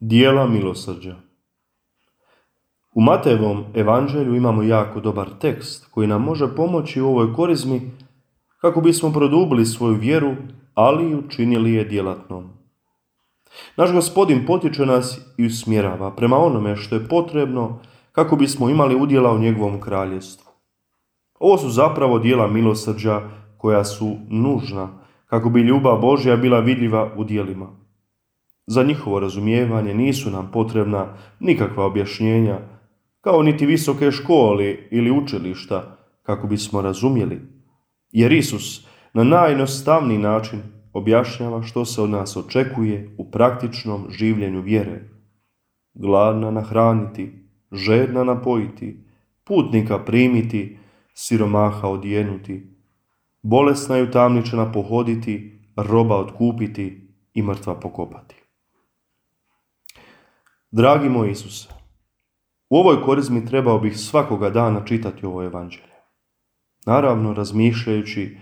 Dijela milosrđa. U Matejevom evanđelju imamo jako dobar tekst koji nam može pomoći u ovoj korizmi kako bismo produbili svoju vjeru, ali i učinili je djelatnom. Naš Gospodin potiče nas i usmjerava prema onome što je potrebno kako bismo imali udjela u njegovom kraljevstvu. Ovo su zapravo dijela milosrđa koja su nužna kako bi ljubav Božja bila vidljiva u djelima. Za njihovo razumijevanje nisu nam potrebna nikakva objašnjenja, kao niti visoke škole ili učilišta kako bismo razumjeli, jer Isus na najjednostavniji način objašnjava što se od nas očekuje u praktičnom življenju vjere. Gladna nahraniti, žedna napojiti, putnika primiti, siromaha odjenuti, bolesna i utamničena pohoditi, roba otkupiti i mrtva pokopati. Dragi moj Isuse, u ovoj korizmi trebao bih svakoga dana čitati ovo evanđelje. Naravno, razmišljajući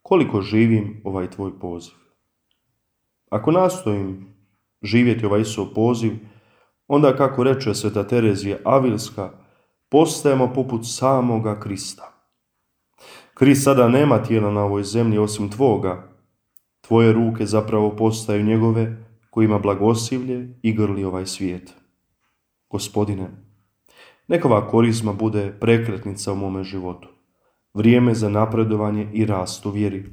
koliko živim ovaj tvoj poziv. Ako nastojim živjeti ovaj Isusov poziv, onda, kako reče sveta Terezija Avilska, postajemo poput samoga Krista. Krist sada nema tijela na ovoj zemlji osim tvoga. Tvoje ruke zapravo postaju njegove, kojima blagosilje i grli ovaj svijet. Gospodine, neka ova korizma bude prekretnica u mome životu, vrijeme za napredovanje i rast u vjeri.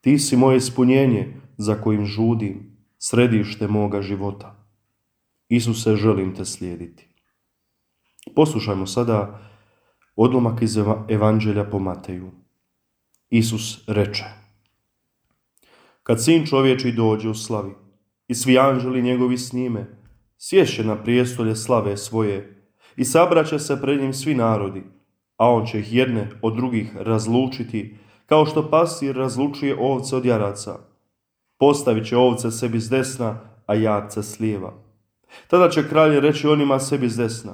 Ti si moje ispunjenje za kojim žudim, središte moga života. Isuse, želim te slijediti. Poslušajmo sada odlomak iz evanđelja po Mateju. Isus reče: Kad Sin čovječji dođe u slavi i svi anđeli njegovi s njime, sješće na prijestolje slave svoje i sabraće se pred njim svi narodi, a on će ih jedne od drugih razlučiti, kao što pastir razlučuje ovce od jaraca. Postavit će ovce sebi s desna, a jarce s lijeva. Tada će kralj reći onima sebi s desna: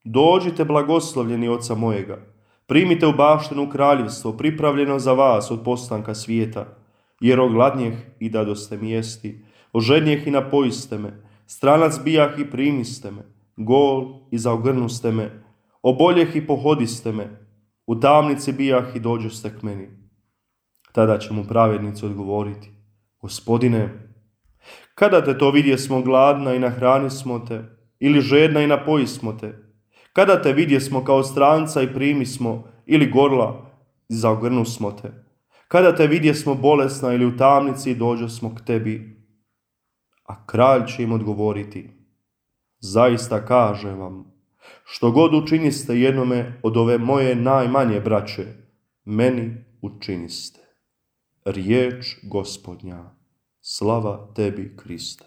Dođite, blagoslovljeni oca mojega, primite u baštinu kraljevstvo pripravljeno za vas od postanka svijeta, jer ogladnjeh i dadoste mi jesti, ožednjeh i napojiste me, stranac bijah i primiste me, gol i zaogrnuste me, oboljeh i pohodiste me, u tamnici bijah i dođoste k meni. Tada će mu pravednici odgovoriti: Gospodine, kada te to vidjesmo gladna i nahranismo te, ili žedna i napojismo te? Kada te vidjesmo kao stranca i primismo, ili gorla i zaogrnusmo te? Kada te vidjesmo bolesna ili u tamnici i dođosmo k tebi? A kralj će im odgovoriti: Zaista kažem vam, što god učiniste jednome od ove moje najmanje braće, meni učiniste. Riječ Gospodnja. Slava tebi, Kriste.